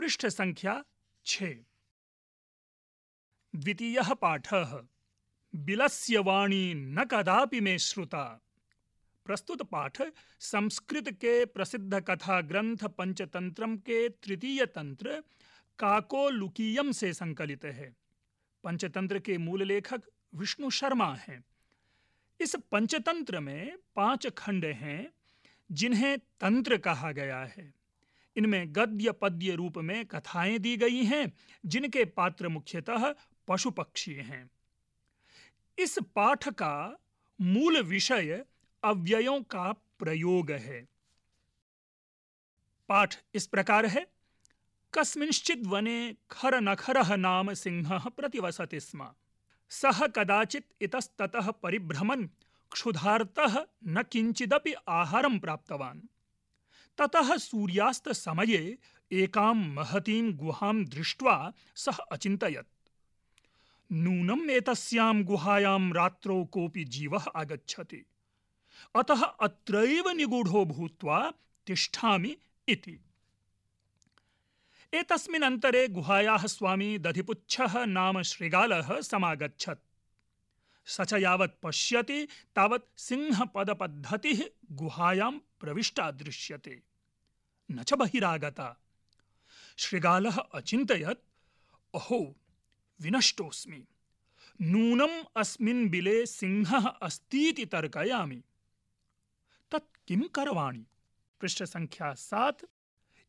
पृष्ठ संख्या 6। द्वितीयः पाठः। बिलस्य वाणी न कदापि मे श्रुता। प्रस्तुत पाठ संस्कृत के प्रसिद्ध कथा ग्रंथ पंचतंत्रम के तृतीय तंत्र काकोलुकीयम से संकलित है। पंचतंत्र के मूल लेखक विष्णु शर्मा हैं। इस पंचतंत्र में 5 खंड हैं जिन्हें तंत्र कहा गया है। इनमें गद्य पद्य रूप में कथाएं दी गई हैं जिनके पात्र मुख्यतः पशु पक्षी हैं। इस पाठ का मूल विषय अव्ययों का प्रयोग है। पाठ इस प्रकार है। कस्मिंश्चित् वने खरनखरः नाम सिंहः प्रतिवसति स्म। सः कदाचित् इतस्ततः परिभ्रमन् क्षुधार्तः न किंचिदपि आहारं प्राप्तवान्। ततः सूर्यास्त समये एकां महतीं गुहां दृष्ट्वा सः अचिन्तयत्, नूनम् एतस्यां गुहायां रात्रौ कोऽपि जीवः आगच्छति, अतः अत्रैव निगूढो भूत्वा तिष्ठामि इति। एतस्मिन् अन्तरे गुहायाः स्वामी दधिपुच्छः नाम श्रृगालः समागच्छत्। स च यावत् पश्यति तावत् सिंहपदपद्धतिः गुहायां प्रविष्टा दृश्यते, न च बहिरागता। श्रृगालः अचिन्तयत्, अहो विनष्टोऽस्मि, नूनम् अस्मिन् बिले सिंहः अस्तीति तर्कयामि, तत् किं करवाणि। पृष्ठ संख्या 7।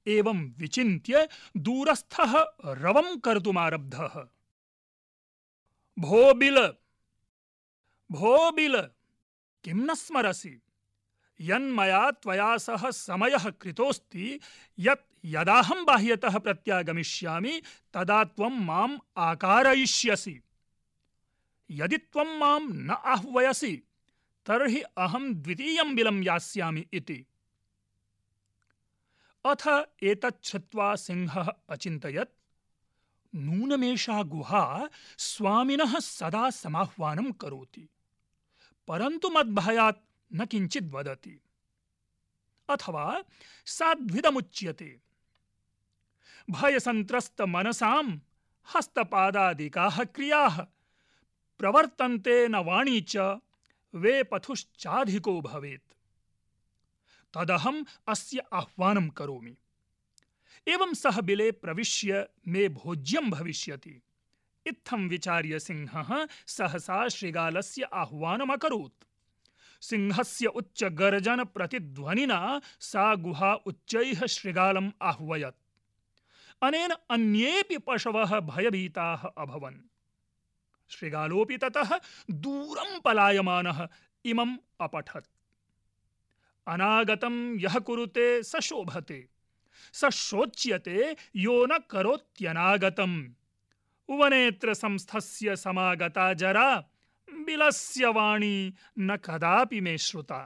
एवं विचिन्त्य दूरस्थः रवं कर्तुमारब्धः। भो बिल, किं न स्मरसि, यन्मया त्वया सह समयः कृतोऽस्ति यत् यदाहं बाह्यतः प्रत्यागमिष्यामि तदा त्वं माम् आकारयिष्यसि। यदि त्वं मां न आह्वयसि तर्हि अहं द्वितीयं बिलं यास्यामि इति। अथ एतत् श्रुत्वा सिंहः अचिन्तयत्, नूनमेषा गुहा स्वामिनः सदा समाह्वानं करोति, परन्तु मद्भयात् न किञ्चित् वदति। अथवा साद्विदमुच्यते, भयसंत्रस्त मनसां हस्तपादादिकाः क्रियाः प्रवर्तन्ते न वाणी च वेपथुश्चाधिको भवेत्, तदहम् अस्य आह्वानं करोमि। एवं सः बिले प्रविश्य मे भोज्यं भविष्यति। इत्थं विचार्य सिंहः सहसा श्रृगालस्य आह्वानम् अकरोत्। सिंहस्य उच्चगर्जन प्रतिध्वनिना सा गुहा उच्चैः श्रृगालम् आह्वयत्। अनेन अन्येऽपि पशवः भयभीताः अभवन्। श्रृगालोऽपि ततः दूरं पलायमानः इमम् अपठत्। अनागतं यः कुरुते स शोभते, स शोच्यते यो न करोत्यनागतं। वनेत्र संस्थस्य समागता जरा, बिलस्य वाणी न कदापि मे श्रुता।